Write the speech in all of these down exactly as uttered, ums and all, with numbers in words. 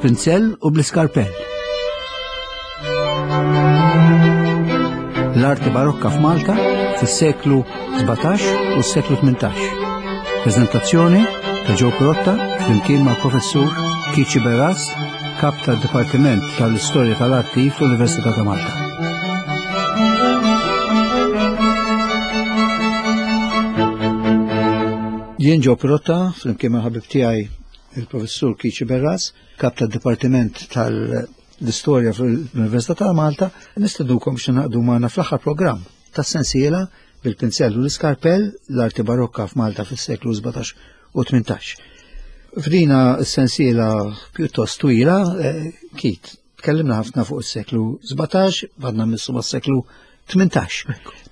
Bil-pinzell u bl-iskarpell. L-arti barokka f'Malta fis-seklu sbatax u s-seklu tmintax. Prezentazzjoni ta' Joe Pirotta flimkien ma' professur Keith Sciberras, kap tad-Dipartiment tal-Istorja tal-Arti fl-Università ta' Malta. Jien Joe Pirotta flimkien ma' ħabib tiegħi il-professur Keith Sciberras, kap tad-Dipartiment tal-Istorja fl-Università ta' Malta, nistidukom biex naqdu magħna fl-aħħar programm tas-sensiela bil-pinzell u l-iskarpell l-arti barokka f'Malta fis-seklu sbatax u tmintax. F'dina s-sensiela pjuttost twila, eh, Keith, tkellimna ħafna fuq is-seklu sbatax, għadna missu mas-seklu tmintax.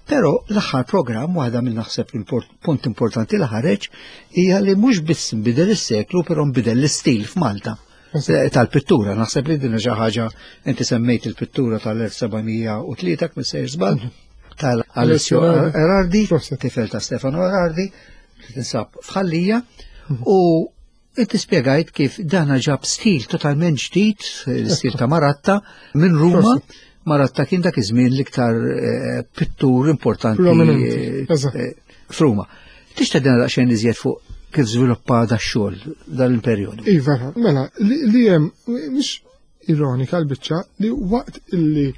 Però l-aħħar programm, waħda minn naħseb il-punt importanti li ħareġ, hija li mhux biss nbidel is-seklu, però nbidel l-istil f'Malta Eżatt. tal-pittura. Naħseb li din xi ħaġa inti semmejt il-pittura tal-elf seba' mija u tlieta, kif sejjer żball, tal-Alessio Alessio Erardi, Proset. tifel ta' Stefano Erardi, li tinsab f'Ħal Lija, u inti spjegajt kif dana ġab stil totalment ġdid, l-istil ta' Maratta, minn Ruma. Proset. Maratta kien dak iż-żmien l-iktar, eh, pittur importanti, Prominenti, eh, eżatt. eh, f'Ruma. Tixtieq dina daqsxejn iżjed fuq kif żviluppa da xogħol dal-perjodu? Iva, mela, li, li hemm mhix ironika l-biċċa li waqt illi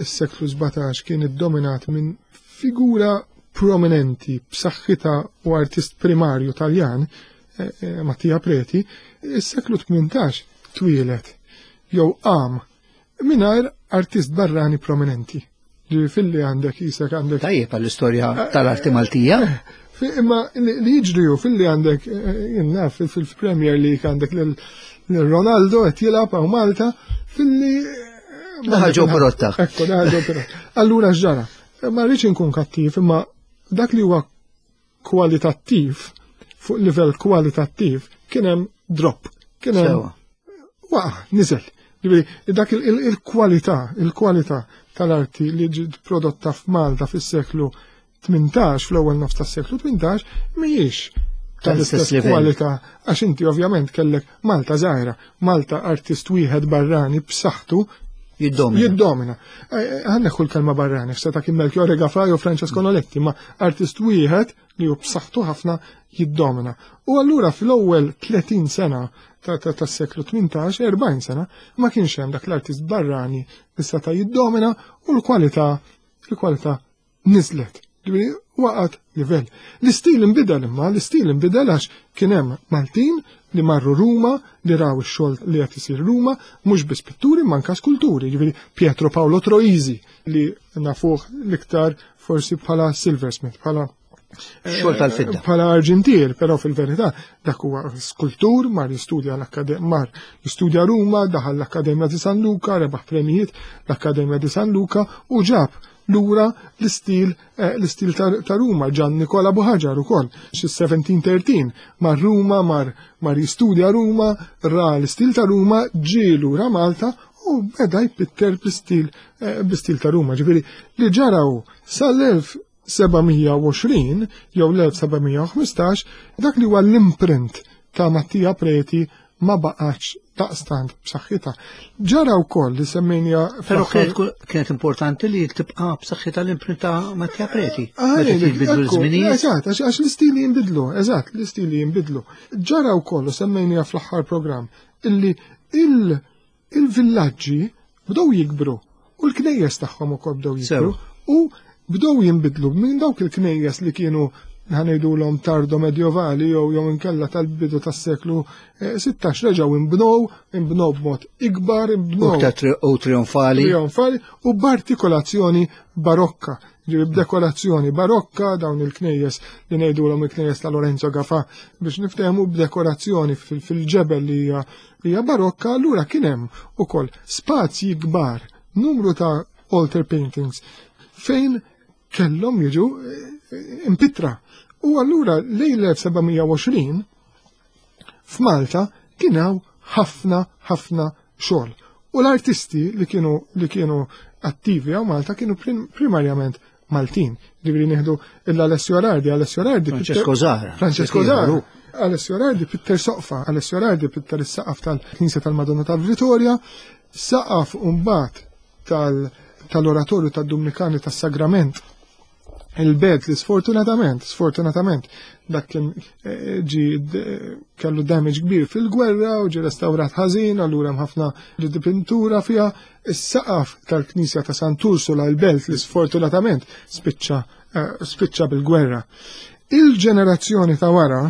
s-seklu sbatax kien iddominat minn figura prominenti b'saħħitha u artist primarju Taljan, eh, eh, Mattia Preti, is-seklu tmintax twieled jew qam mingħajr artist barrani prominenti. Ġifieri filli għandek isek għandek Tajjeb għall-istorja tal-arti Maltija. Fi-, imma li, li jiġri hu filli għandek, eh, jien naf, fil-, fil-Premier League għandek lil, lil Ronaldo qed jilgħab hawn Malta, filli, eh, Daħal Joe Pirotta. Ekku, daħal Joe Pirotta. Allura x'ġara? Ma rridx inkun kattiv, imma dak li huwa kwalitattiv, fuq livell kwalitattiv, kien hemm drop. Kien hemm Sewa. waqa', niżel. Ġifieri, dak il-, il-, il-kwalità, il-kwalità tal-arti li ġiet prodotta f'Malta fis-seklu tmintax, fl-ewwel nofs tas-seklu tmintax, mhijiex tal-istess tal-istess livell. kwalità, għax inti ovvjament kellek Malta żgħira, Malta artist wieħed barrani b'saħħtu jiddomina. Jiddomina. Eh, eh, ħa neħħu l-kelma barrani, f'seta kien Melchiorre Gafà jew Francesco Noletti, ma artist wieħed li hu b'saħħtu ħafna jiddomina. U allura fl-ewwel tletin sena ta', ta', tas-seklu tmintax, erbgħin sena, ma kienx hemm dak l-artist barrani li seta' jiddomina u l-kwalità, l-kwalità niżlet. Ġifieri waqgħet livell. L-istil inbidel imma, l-istil inbidel għax kien hemm Maltin li marru Ruma, li raw ix-xogħol li qed isir Ruma, mhux biss pitturi ma anke skulturi, ġifieri Pietro Paolo Troisi li nafuh l-iktar forsi bħala silversmith, bħala xogħol tal-fidda. Bħala arġentier, però fil-verità dak huwa skultur, mar jistudja l-akkademja, mar jistudja Ruma, daħal l-Akkademja di San Luca, rebaħ premijiet l-Akkademja di San Luca u ġab lura l-istil, eh, l-istil ta', ta' Ruma, Gian Nicola Buhagiar ukoll, xi seventeen thirteen, mar Ruma, mar, mar jistudja Ruma, ra l-istil ta' Ruma, ġie lura Malta u beda jpitter bl-istil, eh, bl-istil ta' Ruma. Ġifieri li ġaraw sal-elf seba' mija u għoxrin jew l-elf seba' mija u ħmistax, dak li huwa l-imprint ta' Mattia Preti ma baqax daqstant b'saħħitha. Ġara wkoll li semmejnija Però fl-aħħar kienet ku-, kienet importanti li tibqa' b'saħħitha l-imprint ta' Mattia Preti. Ah, Meta eh, jinbidlu ekku, l-żminijiet. Eżatt, għax, għax l-istili jinbidlu, eżatt, l-istili jinbidlu. Ġara wkoll u semmejnija fl-aħħar programm illi il-, il-villaġġi bdew jikbru u l-knejjes tagħhom ukoll bdew jikbru Sew. u bdew jinbidlu minn dawk il-knejjes li kienu ħanejdulhom tardo medjovali jew jew inkella tal-bidu tas-seklu, eh, sittax reġgħu inbnew, inbnew b'mod ikbar, inbnew U ta' tri-, u trionfali. Trionfali u b'artikolazzjoni barokka. Ġifieri b'dekorazzjoni barokka dawn il-knejjes li ngħidulhom il-knejjes ta' Lorenzo Gafà biex niftehmu b'dekorazzjoni fil-, fil-ġebel li hija, hija barokka, allura kien hemm ukoll spazji kbar, numru ta' altar paintings fejn kellhom jiġu, eh, impittra. U allura lejn l-elf seba' mija u għoxrin f'Malta kien hawn ħafna, ħafna xogħol. U l-artisti li kienu, li kienu attivi hawn Malta kienu prim-, primarjament Maltin. Ġifieri nieħdu l-Alessio Erardi, Alessio Erardi Francesco pitter- Zahra. Francesco Zahra. Alessio Rardi pitter soqfa, Alessio Rardi pitter is-saqaf tal-Knisja tal-Madonna ta' Vittoria, saqaf mbagħad tal-Oratorju tad-Dumnikani tas-Sagrament il-bed li sfortunatament, sfortunatament, dak kien eh, ġi kellu damage kbir fil-gwerra u ġi restawrat ħażin, allura hemm ħafna pintura fiha. Is-saqaf tal-Knisja ta' Sant'Ursula l-belt li sfortunatament spiċċa eh, spiċċa bil-gwerra. Il-ġenerazzjoni ta' wara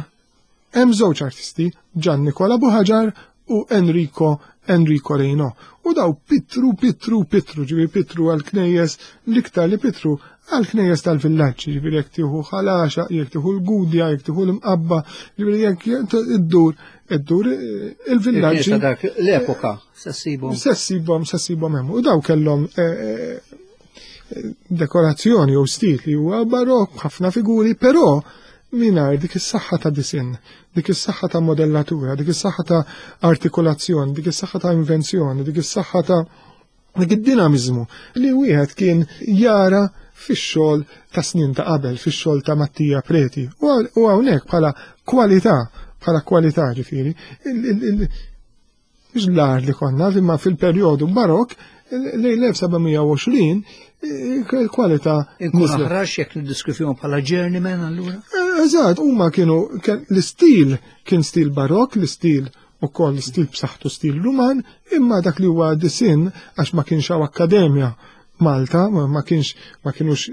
hemm żewġ artisti, Gian Nicola Buhagiar u Enrico Enrico Reynaud. U daw pittru, pittru, pittru, ġifieri pittru għal-knejjes, l-iktar li pittru għal-knejjes tal-villaġġi, ġifieri jekk tieħu Ħal Għaxaq, jekk tieħu l-Gudja, jekk tieħu l-Imqabba, ġifieri jekk iddur, iddur il-villaġġi. dak l-epoka, se ssibhom. Se ssibhom, se ssibhom hemm. U daw kellhom eh, eh, dekorazzjoni u stil li huwa barokk, ħafna figuri, però mingħajr dik is-saħħa ta' disinn, dik is-saħħa ta' modellatura, dik is-saħħa ta' artikolazzjoni, dik is-saħħa ta' invenzjoni, dik is-saħħa ta' dik id-dinamizmu li wieħed kien jara fix-xogħol ta' snin ta' qabel, fix-xogħol ta' Mattia Preti. U hawnhekk bħala kwalità, bħala kwalità ġifieri, mhux l-ar li konna, imma fil-perjodu barok lejn l-elf seba' mija u għoxrin il-kwalità. Inkun aħrax jekk niddiskrivihom bħala journeyman allura? Eżatt, huma kienu l-istil kien stil barok, l-istil ukoll stil b'saħħtu stil Ruman, imma dak li huwa disin għax ma kienx hawn akkademja Malta, ma kienx ma kienux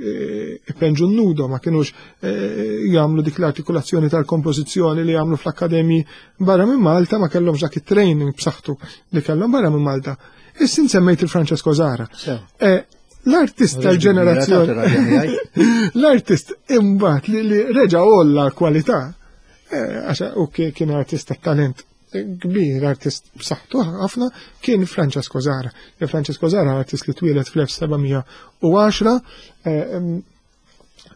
ipenġu nudo, ma kienux jagħmlu dik l-artikolazzjoni tal-kompożizzjoni li jagħmlu fl-akkademji barra minn Malta, ma kellhomx dak it-training b'saħħtu li kellhom barra minn Malta. Issa semmejt il-Francesco Zara. L-artist tal-ġenerazzjoni. L-artist imbagħad li reġa' għolla kwalità, għax u kien artist ta' talent kbir, artist b'saħħtu ħafna, kien Francesco Zara. Francesco Zara artist li twieled fl-elf seba' mija u għaxra,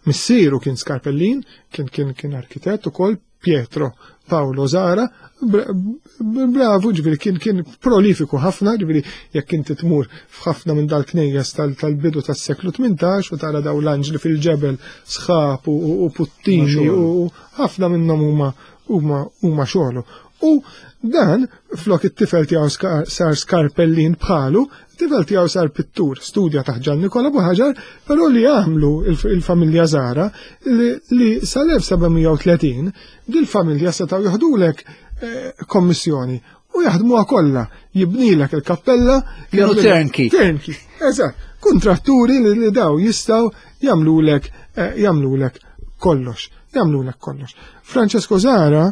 missieru kien Skarpellin, kien kien kien arkitett ukoll, Pietro Paolo Zara, bravo, ġifieri kien kien prolifiku ħafna, ġifieri jekk inti tmur f'ħafna minn dal-knejjes tal-bidu tas-seklu tmintax u tara daw l-anġli fil-ġebel sħab u puttini u ħafna minnhom huma huma huma xogħlu. U dan flok it-tifel tiegħu sar Skarpellin bħalu, it-tifel tiegħu sar pittur, studja taħt Gian Nikola Buhagiar, però li għamlu il-familja Zara li, li sal-elf seba' mija u tletin dil-familja setgħu jaħdulek eh, kommissjoni u jaħdmuha kollha, jibnilek il-kappella. Kienu turnkey. Turnkey, eżatt. Kontratturi li, li daw jistgħu jagħmlulek eh, jagħmlulek kollox, jagħmlulek kollox. Francesco Zara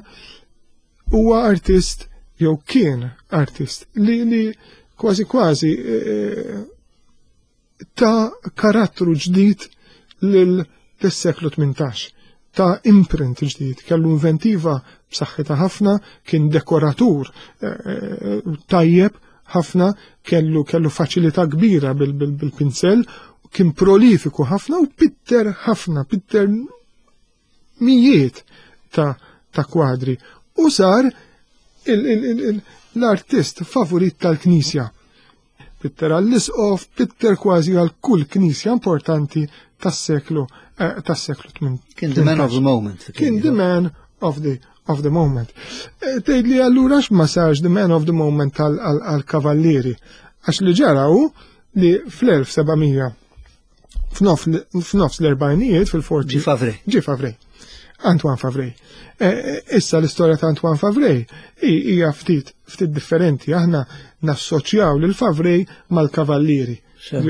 huwa artist jew kien artist li, li kważi kważi eh, ta' karattru ġdid lil seklu tmintax, ta' imprint ġdid, kellu inventiva b'saħħitha ħafna, kien dekoratur eh, tajjeb ħafna, kellu kellu faċilità kbira bil-pinsel, kien prolifiku ħafna u pitter ħafna, pitter mijiet ta', ta' kwadri. U sar l-artist favorit tal-Knisja. Pitter għall-isqof, pitter kważi għal kull knisja importanti tas-seklu eh, tas-seklu tmintax. Kien the man of the moment. Kien the man of the of the moment. Eh, tgħid li allura ma sarx the man of the moment għal-kavallieri. Għax li ġara hu li fl-elf seba' mija f'nofs l-erbajnijiet fil-forti. Ġi Favre. Ġi Favre. Antoine Favre. Eh, issa l-istorja ta' Antoine Favre hija ftit ftit differenti. Aħna nassoċjaw lil Favre mal-kavallieri.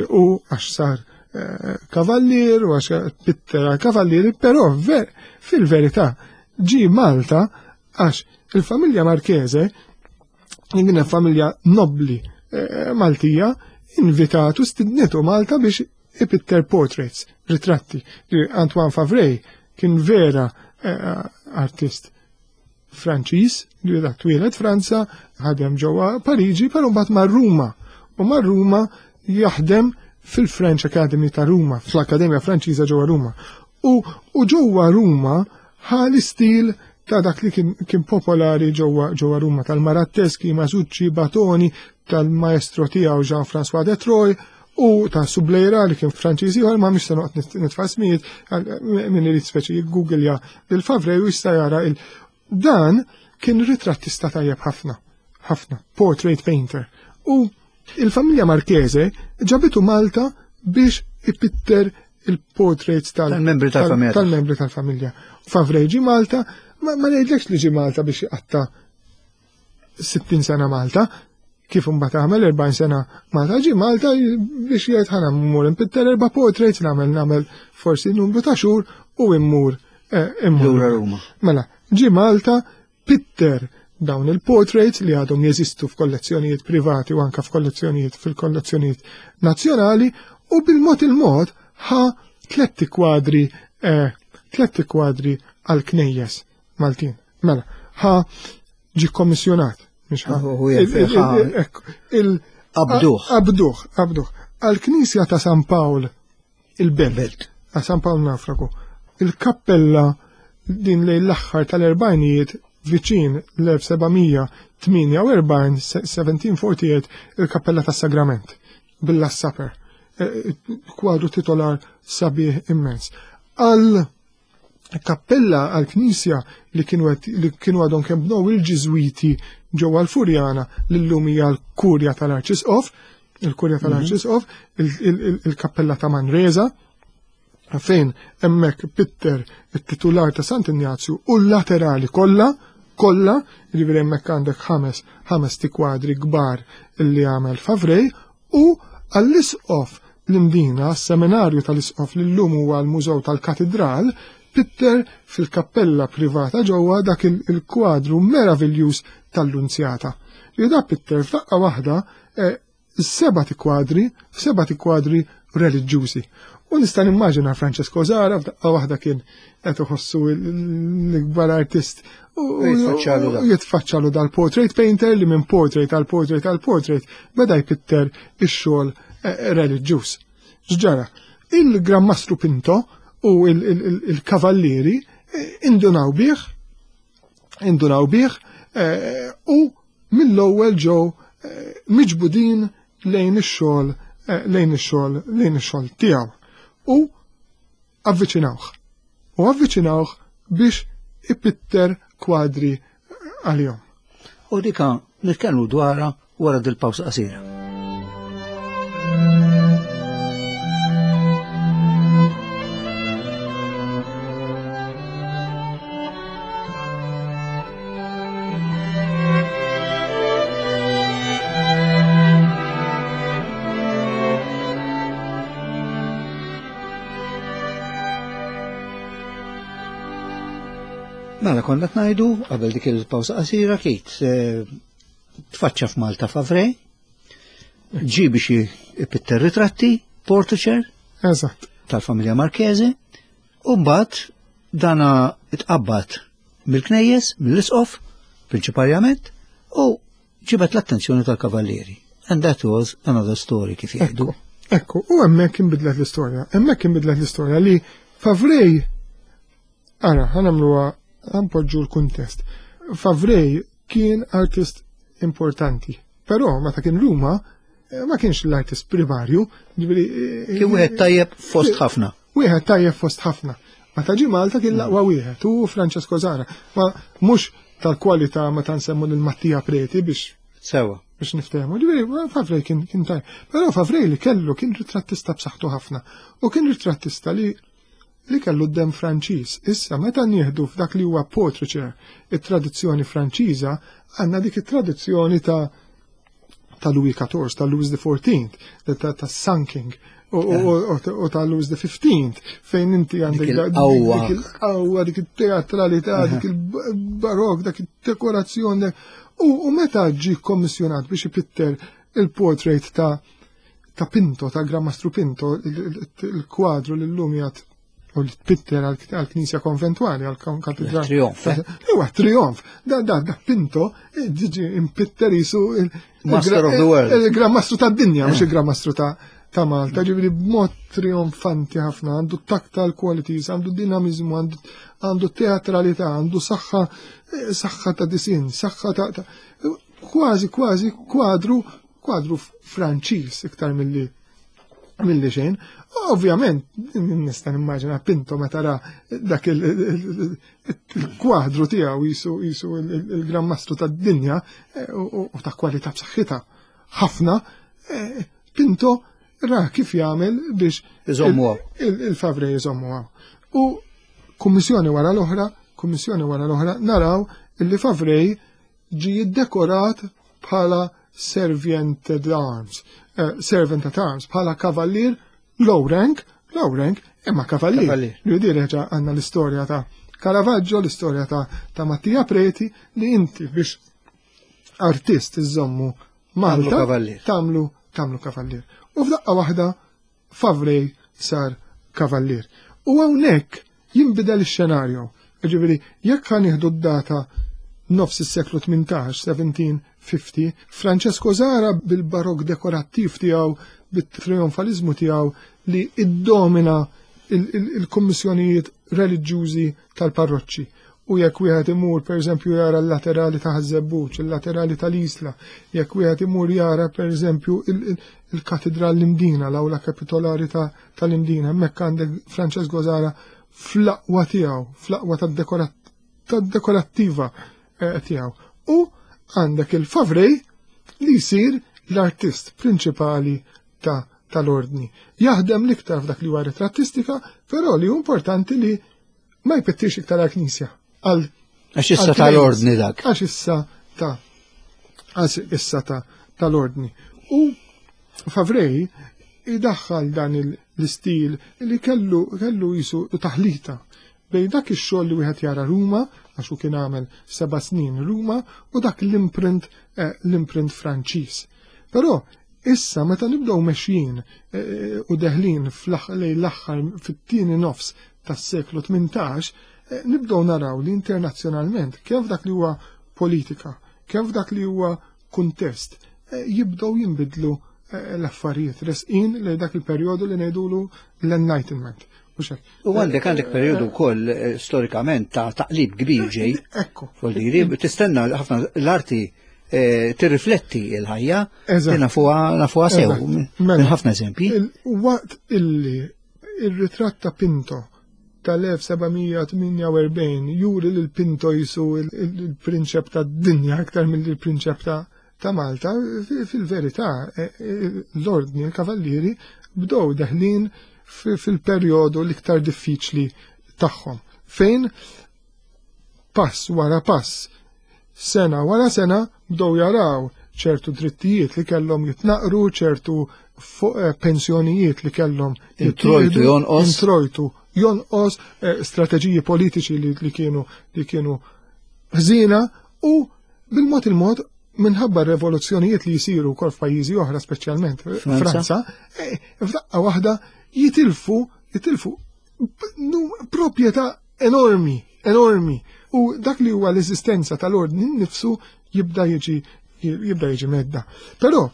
U għax sar eh, kavallier u għax pitter kavallieri, però fil-verità ġi Malta għax il-familja Marchese, kienet familja nobli eh, Maltija, invitatu, stidnetu Malta biex ipitter portraits, ritratti. Antoine Favre kien vera eh, artist Franċiż, li dak twieled Franza, ħadem ġewwa Pariġi, però mbagħad mar Ruma. U mar Ruma jaħdem fil-French Academy ta' Ruma, fl-Akkademja Franċiża ġewwa Ruma. U, u ġewwa Ruma ħa l-istil ta' dak li kien, kien popolari ġewwa ġewwa Ruma tal-Malatteski, Masucci, Batoni, tal-maestro tiegħu Jean-François de Troy u ta' Subleyra li kien Franċiż ieħor, ma mhix se noqgħod nitfa' ismijiet, min irid speċi jiggooglja lil Favre u jista' jara il Dan kien ritrattista tajjeb ħafna, ħafna, portrait painter. U il-familja Marchese ġabitu Malta biex ipitter il-portraits tal-membri tal-familja. Tal-membri tal-familja. Favrej ġi Malta, ma ngħidlekx li ġi Malta biex iqatta' sittin sena Malta, kif imbagħad għamel erbgħin sena Malta, ġi Malta biex jgħid ħana mmur impitter erba' portraits, nagħmel nagħmel forsi numru ta' xhur u immur immur. Lura Ruma. Mela, ġi Malta, pitter dawn il-portraits li għadhom jeżistu f'kollezzjonijiet privati u anka f'kollezzjonijiet fil-kollezzjonijiet nazzjonali, u bil-mod il-mod ħa tletti kwadri eh, tletti kwadri għal-knejjes Maltin. Mela, ħa ġi kommissjonat. Abduh. Abduh, abduh. Għal-knisja ta' San Pawl il-Belt, ta' San Pawl Nafraku, il-kappella din lejn l-aħħar tal-erbajnijiet viċin l-elf sebgħamija tmienja u erbgħin, seventeen forty-eight, il-kappella tas Sagrament, bil-Last Supper, kwadru titolar sabiħ immens. Għal kappella għal-knisja li kienu għed, li kienu għadhom kemm bnew il-Ġiżwiti ġewwa l-Furjana, li llum hija l-Kurja tal-Arċisqof, il-Kurja tal-Arċisqof, il-, il-, il-, il-kappella ta' Manresa, fejn hemmhekk pitter it-titular ta' Sant'Injazju u l-laterali kollha, kollha, jiġifieri hemmhekk għandek ħames, ħames tikwadri kbar li għamel Favrej, u għall-isqof l-Imdina, s-seminarju tal-isqof li llum huwa l-Mużew tal-Katidral, pitter fil-kappella privata ġewwa dak il-, il-kwadru meraviljuż tal-Lunzjata. Li da pitter f'daqqa waħda, eh, seba' tikwadri, seba' tikwadri reliġjużi. U nista' nimmaġina Francesco Zahra f'daqqa waħda kien qed iħossu l-ikbar artist u Jitfaċċalu dak. jitfaċċalu dal-portrait painter li minn portrait għal portrait għal portrait beda jpitter ix-xogħol, eh, reliġjuż. X'ġara? Il-Gran Mastru Pinto u il-, il-, il-, il-kavallieri, eh, indunaw bih, indunaw bih, eh, u mill-ewwel ġew, eh, miġbudin lejn ix-xogħol, eh, lejn ix-xogħol, lejn ix-xogħol tiegħu. U avviċinawh. U avviċinawh biex ipitter kwadri għalihom. U dika nitkellmu dwarha wara dil-pawsa qasira. Mela konna tnajdu qabel dik il-pawsa qasira Kate, eh, tfaċċa f'Malta Favrej, ġi biex ipitter ritratti, portraiture Eżatt. tal-familja Marchese, u mbagħad dana itqabbad mill-knejjes, mill-isqof, prinċipalment, u ġibet l-attenzjoni tal-kavallieri. And that was another story kif jgħidu. Ekku, ekku, u hemmhekk inbidlet l-istorja. Hemmhekk inbidlet l-istorja li Favrej, ara, ħanamluha, ħanpoġġu l-kuntest. Favrej kien artist importanti, però meta kien Ruma, eh, ma kienx l-artist primarju, ġifieri, eh, Kien wieħed tajjeb fost ħafna. Wieħed tajjeb fost ħafna. Meta ġie Malta kien l-aqwa wieħed, u Francesco Zahra. Ma mhux tal-kwalità meta nsemmu lil Mattia Preti biex Sewa. biex niftehmu. Ġifieri, Favrej kien, kien tajjeb. Però Favrej li kellu kien ritrattista b'saħħtu ħafna. U kien ritrattista li, li kellu d-dem Franċiż. Issa meta nieħdu f'dak li huwa portraiture it-tradizzjoni Franċiża, għandna dik it-tradizzjoni ta', ta' Louis quatorze, ta' Louis the fourteenth, ta', ta' Sun King, u, u, u, u, u ta' Louis the fifteenth, fejn inti għandek Dik da-, il-qawwa. dik il-qawwa, dik it-teatralità, Aha. dik il-barok, dak it-dekorazzjoni. U, u meta ġie kommissjonat biex ipitter il-portrait ta', ta' Pinto, ta' Gran Mastru Pinto, il-, il-, il-kwadru li llum jgħid u li tpitter għal-, għal-knisja konventuali, għal-katedral. Trionf, eh? Ewa, trionf. Da, da, da Pinto, eh, ġiġi impitter jisu il-, Master il-gra- of the world. il-Gran Mastru tad-dinja, mhux Eh. il-Gran Mastru ta', ta' Malta, ġifieri b'mod trionfanti ħafna, għandu tactile qualities, għandu dinamizmu, għandu, għandu teatralità, għandu saħħa, eh, saħħa ta' disin, saħħa ta', ta' kważi, kważi kwadru, kwadru Franċiż iktar milli Milli xejn. Ovvjament, nista' nimmaġina Pinto meta ra dak il-kwadru tiegħu jisu jisu il-Gran Mastru tad-dinja eh, u ta' kwalità b'saħħitha ħafna, eh, Pinto ra kif jagħmel biex il-Favrej iżommu. U kummissjoni wara l-oħra, kummissjoni wara l-oħra, naraw illi Favrej ġi jiddekorat bħala servant at arms, uh, servant at arms, bħala kavallier low rank, low rank, imma kavallier. Li direġa għandna l-istorja ta' Caravaggio, l-istorja ta', ta' Mattia Preti, li inti biex artist iżommu Malta, tagħmlu tagħmlu kavallier. U f'daqqa waħda Favrej sar kavallier. U hawnhekk jinbidel ix-xenarju. Ġifieri, jekk ħa nieħdu d-data nofs is-seklu tmintax, seventeen fifty, Francesco Zara bil-barok dekorattiv tiegħu, bit-trionfalizmu tiegħu li iddomina il-kummissjonijiet reliġjużi tal-parroċċi. U jekk wieħed imur pereżempju jara l-laterali ta' Ħaż-Żebbuġ, il-laterali tal-Isla, jekk wieħed imur jara pereżempju il-Katedral l-Imdina, l-awla kapitolari tal-Imdina, hemmhekk għandek Francesco Zara fl-aqwa tiegħu, fl-aqwa tad-dekorattiva eh, tiegħu. U għandek il-Favrej li jsir l-artist prinċipali ta' tal-ordni. Jaħdem l-iktar f'dak li huwa ritrattistika, però li hu importanti li ma jpittix iktar għal-knisja. Għax issa tal-ordni dak. Għax issa ta' għax issa ta' tal-ordni. U Favrej idaħħal dan l-istil li kellu kellu jisu taħlita bejn dak ix-xogħol li wieħed jara Ruma, għax hu kien għamel seba' snin Ruma, u dak l-imprint eh, l-imprint Franċiż. Però issa meta nibdew mexjin eh, u deħlin lejn l-aħħar fit-tieni nofs tas-seklu tmintax, eh, nibdew naraw li internazzjonalment kemm f'dak li huwa politika, kemm f'dak li huwa kuntest, jibdew jinbidlu l-affarijiet resqin li dak il-perjodu li ngħidulu l-Enlightenment. U għandek għandek perjodu wkoll storikament ta' taqlib kbir ġej. Ekku. Voldiri, tistenna ħafna l-arti tirrifletti il-ħajja, nafuha nafuha sew, minn ħafna eżempji. Waqt illi il-ritratt ta' Pinto tal-elf seba' mija tmienja u erbgħin juri li l-Pinto jisu il-prinċep tad-dinja aktar mill-prinċep ta' ta' Malta, fil-verità l-ordni, l-kavallieri bdew deħlin fil-perjodu l-iktar diffiċli tagħhom. Fejn pass wara pass, sena wara sena bdew jaraw ċertu drittijiet li kellhom jitnaqru, ċertu pensjonijiet li kellhom introjtu jonqos, introjtu jonqos, strateġiji politiċi li kienu li kienu ħżina u bil-mod il-mod minħabba revoluzzjonijiet li jisiru wkoll f'pajjiżi oħra, speċjalment Franza, f'daqqa waħda jitilfu jitilfu proprjetà enormi, enormi. U dak li huwa l-eżistenza tal-ordni nnifsu jibda jiġi jibda jiġi mhedded. Però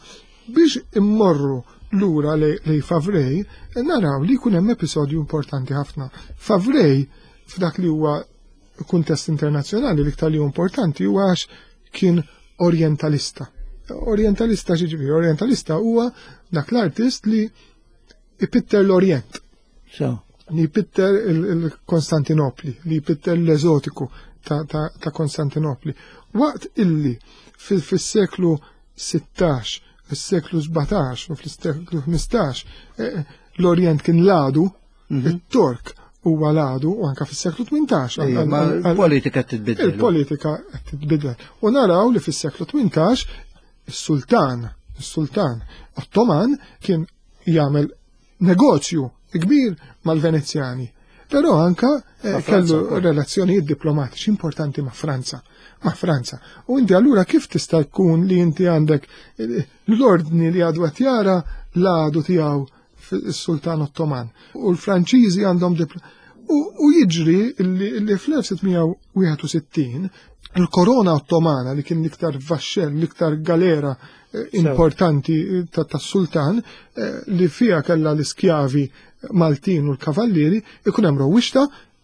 biex immorru lura lejn Favrej, naraw li jkun hemm episodju importanti ħafna. Favrej f'dak li huwa kuntest internazzjonali l-iktar li importanti huwa għax kien orientalista. Orientalista ġiġifieri, orientalista huwa dak l-artist li ipitter l-Orient. So. Li jpitter il-Konstantinopli, li jpitter l-eżotiku ta', ta, ta' Konstantinopli. Waqt illi fil-seklu sittax, fis-seklu sbatax u fil-seklu ħmistax eh, l-Orient kien l-għadu, Mhm. it-Tork huwa l-għadu u anka fis-seklu tmintax. Ejja, ma l-politika titbiddel. Il-politika qed titbidel. U naraw li fis-seklu tmintax is-sultan, is-sultan Ottoman kien jagħmel negozju kbir mal-Venezjani. Però anka eh, Ma' Franza kellu wkoll. relazzjonijiet diplomatiċi importanti ma' Franza. Ma' Franza. U inti allura kif tista' jkun li inti għandek eh, l-ordni li għadu qed jara l-għadu tiegħu fis-Sultan Ottoman. U l-Franċiżi għandhom dipl- U, u jiġri li, li fl-elf sitt mija wieħed u sittin il-korona ottomana li kien l-iktar vaxxell, l-iktar galera eh, importanti ta' tas-sultan eh, li fija kella l-iskjavi Maltin u l-kavallieri, ikun hemm rewwixta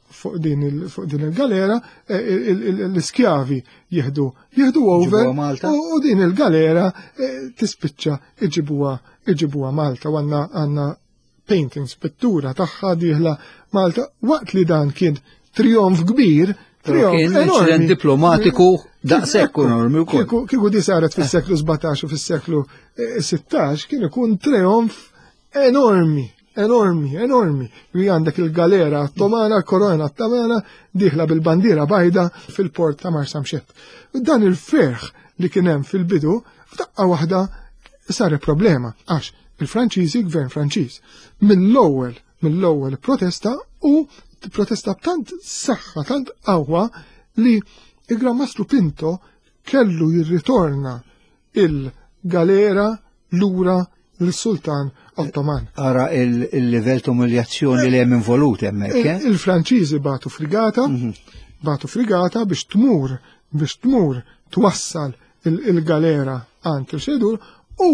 fuq din il- fuq din il-galera, eh, il- il- l-iskjavi jieħdu jieħdu over Iġibuha Malta. u u din il-galera eh, tispiċċa iġibuha iġibuha Malta u għandna għandna paintings, pittura tagħha dieħla Malta, waqt li dan kien trionf kbir, trionf enormi. Diplomatiku daqshekk enormi wkoll. Kieku di saret fis-seklu sbatax u fis-seklu sittax kien ikun trionf enormi, enormi, enormi. Li għandek il-galera ottomana, korona ottomana, dieħla bil-bandiera bajda fil-port ta' Marsamxett. Dan il-ferħ li kien hemm fil-bidu, f'daqqa waħda sar problema, għax il-Franċiżi, gvern Franċiż, mill-ewwel, mill-ewwel protesta u protesta b'tant saħħa, tant qawwa li il-Gran Mastru Pinto kellu jirritorna il-galera lura l-Sultan Ottoman. Ara il-livell ta' umiljazzjoni li hemm involut hemmhekk. Eh? Il-Franċiżi batu frigata, mhm. batu frigata biex tmur, biex tmur twassal il-galera għand il-xedur u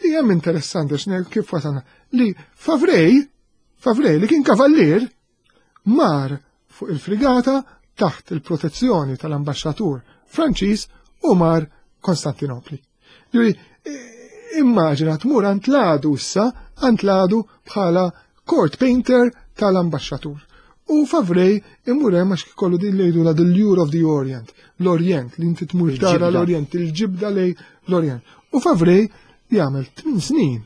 li hemm interessanti x'ne kif wasalna li Favrej, Favrej li kien kavallier mar fuq il-frigata taħt il-protezzjoni tal-ambaxxatur Franċiż u mar Konstantinopli. Ġifieri, immaġina tmur għand l-għadu issa, għand l-għadu bħala court painter tal-ambaxxatur. U Favrej imur hemm għax kollu din li jgħidu the lure of the Orient, l-Orient, li inti tmur tara l-Orient, il-ġibda lej l-Orient. U Favrej jagħmel tmien snin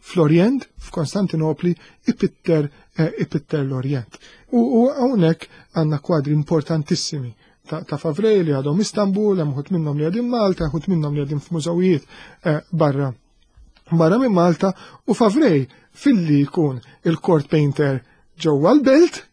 fl-Orient, f'Konstantinopli, ipitter, eh, ipitter l-Orient. U hawnhekk għandna kwadri importantissimi ta', ta Favrej li għadhom Istanbul, hemm uħud minnhom li għadhom Malta, uħud minnhom li għadhom f'mużewijiet eh, barra barra minn Malta, u Favrej filli jkun il-court painter ġewwa l-belt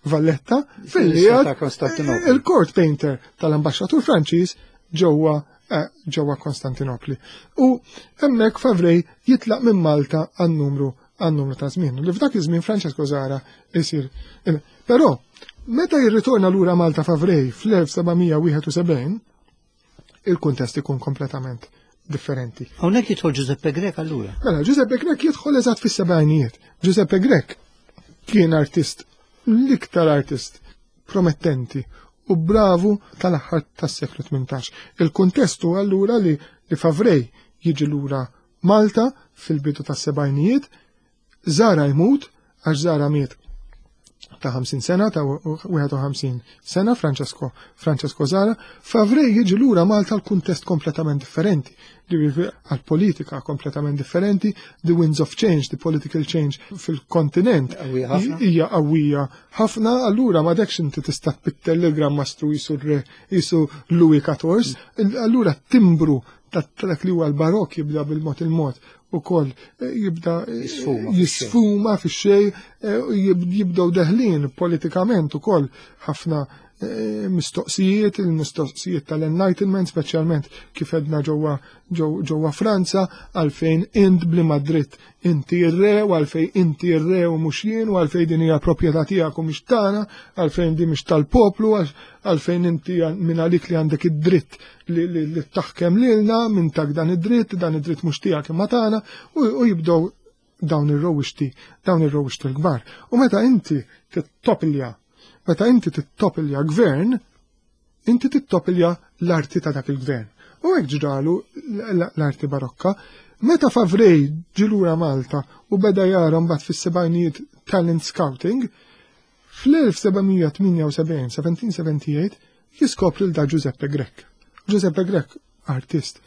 Valletta, filli għad il-court painter tal-ambaxxatur Franċiż ġewwa eh, ġewwa Konstantinopli. U hemmhekk Favrej jitlaq minn Malta għan-numru għan-numru ta' żmien. Li f'dak iż-żmien Francesco Zara isir. Però meta jirritorna lura Malta Favrej fl-elf seba' mija wieħed u sebgħin, il-kuntest ikun kompletament differenti. Hawnhekk jidħol Giuseppe Grech allura? Mela, Giuseppe Grech jidħol eżatt fis-sebgħinijiet. Giuseppe Grech kien artist, l-iktar artist promettenti u bravu tal-aħħar tas-seklu tmintax. Il-kuntestu allura li, li Favrej jiġi lura Malta fil-bidu tas-sebgħinijiet, Zara jmut, għax Zara miet ta' ħamsin sena, ta' wieħed u ħamsin sena, Francesco, Francesco Zara. Favrej jiġi lura Malta l-kuntest kompletament differenti, għal-politika kompletament differenti, the winds of change, the political change fil-kontinent Qawwija ħafna. hija qawwija ħafna, allura ma dekx inti tista' tpittel il-Gran Mastru jisu re, jisu Louis quatorze, allura timbru ta' dak li huwa l-barok jibda bil-mod il-mod ukoll, eh, jibda, eh, Jisfuma fix-xejn. jisfuma fix-xejn, eh, jib-, jibdew deħlin politikament ukoll ħafna, eh, mistoqsijiet, il-mistoqsijiet tal-Enlightenment, speċjalment kif edna ġewwa, ġew-, ġewwa Franza, għalfejn int bli Madrid inti r-re, u għalfejn inti r-re u mhux jien, u għalfejn din hija proprjetà tiegħek u mhix tagħna, għalfejn din mhix tal-poplu, għal-, għalfejn inti minn għalik li għandek id-dritt li, li, li taħkem lilna, minn tak dan id-dritt, dan id-dritt mhux tiegħek imma tagħna, u, u jibdew dawn ir-rowixti, dawn ir-rowixti l-kbar. U meta inti tittopilja, meta inti tittopilja gvern, inti tittopilja l-arti ta' dak il-gvern. U hekk ġralu l-, l-, l-arti barokka. Meta Favrej ġilura Malta u beda jara mbagħad fis-sebgħinijiet talent scouting, fl-elf seba' mija tmienja u sebgħin, seventeen seventy-eight, jiskopri l da Giuseppe Grech. Giuseppe Grech, artist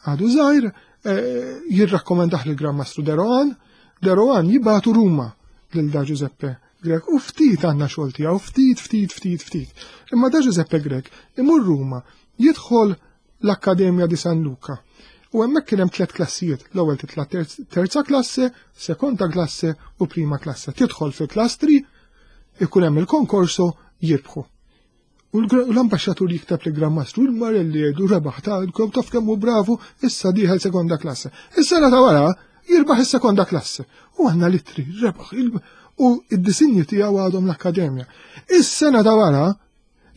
għadu żgħir, eh, jirrakkomandah lil Gran Mastru de Rohan, de Rohan jibgħatu Ruma lil da Giuseppe Grech u ftit għandna xogħol tiegħu, ftit, ftit, ftit, ftit. Imma da Giuseppe Grech imur Ruma, jidħol l-Akkademja di San Luca. U hemmhekk kien hemm tliet klassijiet, l-ewwel titla' terz-, terza klasse, sekonda klasse u prima klasse. Tidħol fi klastri, ikun hemm il-konkorso, jirbħu. U l-gra-, l-ambaxxatur jikteb li Gran Mastru, il-Marelli jgħidu rebaħ ta' kom taf kemm hu bravu, issa dieħel sekonda klasse. Is-sena ta' wara jirbaħ is-sekonda klasse. U għandna litri, rebaħ, il-, u id-disinji tiegħu għadhom l-akkademja. Is-sena ta' wara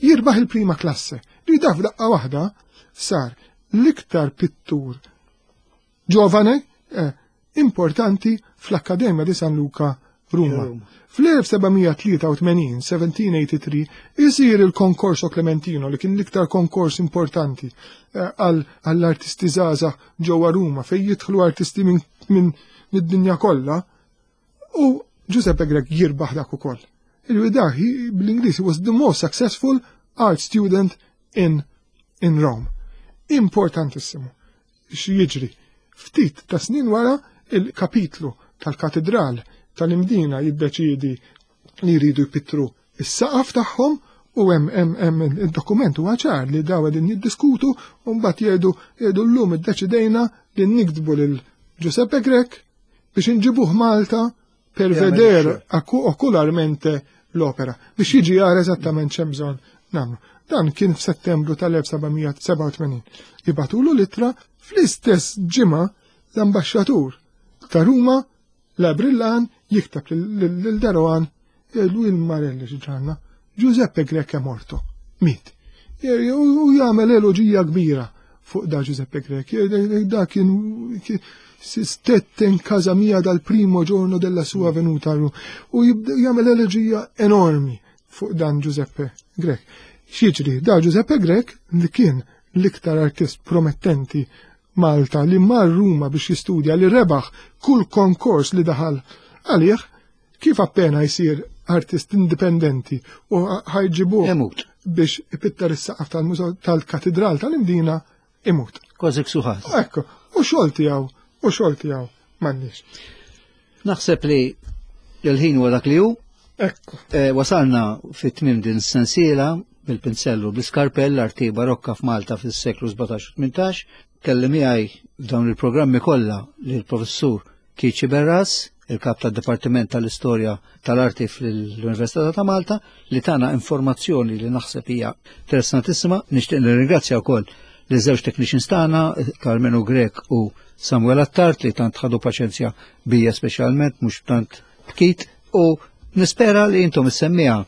jirbaħ il-prima klasse. Li taf daqqa waħda sar l-iktar pittur ġovane, eh, importanti fl-Akkademja di San Luca Ruma. Ruma. Fl-elf seba' mija tlieta u tmenin, seventeen eighty-three, isir il-konkorso Clementino li kien l-iktar konkors importanti, eh, għal, għall-artisti żgħażagħ ġewwa Ruma, fejn jidħlu artisti minn, minn mid-dinja kollha, U Giuseppe Grech jirbaħ dak ukoll. Il-widah bl-Ingliż was the most successful art student in, in Rome. Importantissimu. X'jiġri? Ftit ta' snin wara il-kapitlu tal-katedral tal-Imdina jiddeċidi li jridu jpittru is-saqaf tagħhom u hemm hemm hemm id-dokument huwa ċar li daw qegħdin jiddiskutu u mbagħad jgħidu jgħidu llum iddeċidejna li niktbu lil Giuseppe Grech biex inġibuh Malta per veder ocularmente l-opera biex jiġi jara eżattament x'hemm bżonn nagħmlu. Dan kien f'Settembru tal-elf seba' mija sebgħa u tmenin. Jibagħtulu l-ittra, fl-istess ġimgħa l-ambaxxatur ta' Ruma la Brillan jikteb lil de Rohan, jgħidlu il-Marelli ġanna, Giuseppe Grech è morto, miet. U jagħmel eloġija kbira fuq da Giuseppe Grech. Da kien stette in casa mia dal primo giorno della sua venuta u jagħmel eloġija enormi fuq dan Giuseppe Grech. X'jiġri, da Giuseppe Grech li kien l-iktar artist promettenti Malta li mar Ruma biex jistudja, li rebaħ kull konkors li daħal għalih, kif appena jsir artist indipendenti u ħa jġibuh biex ipittar is-saqaf tal-mużew tal-katedral tal-Imdina, imut. Kważi ksuħat. Ekku, u xogħol tiegħu, u xogħol tiegħu m'għandniex. Naħseb li l-ħin huwa dak li hu. Ekku. Eh, wasalna fit-tmim din sensiela bil-pinzellu bl-iskarpell, arti barokka f'Malta fis-seklu sbatax u tmintax. Kelli miegħi f'dawn il-programmi kollha lill-professur Keith Sciberras, il-kap tad-Dipartiment tal-Istorja tal-Arti fl-Università ta' Malta, li tana informazzjoni li naħseb hija interessantissima. Nixtieq nirringrazzja wkoll li żewġ technicians tagħna, Carmenu Grech u Samuel Attard, li tant ħadu paċenzja bija speċjalment, mhux tant bkit, u nispera li intom is-semmiegħa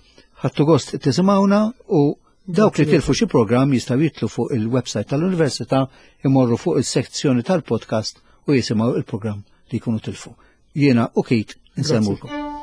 ħadtu gost tisimgħuna u dawk li tilfu xi programm jistgħu jitilgħu fuq il-website tal-Università, imorru fuq il-sezzjoni tal-podcast u jisimgħu il-programm li jkunu tilfu. Jiena u Keith insellmulkom.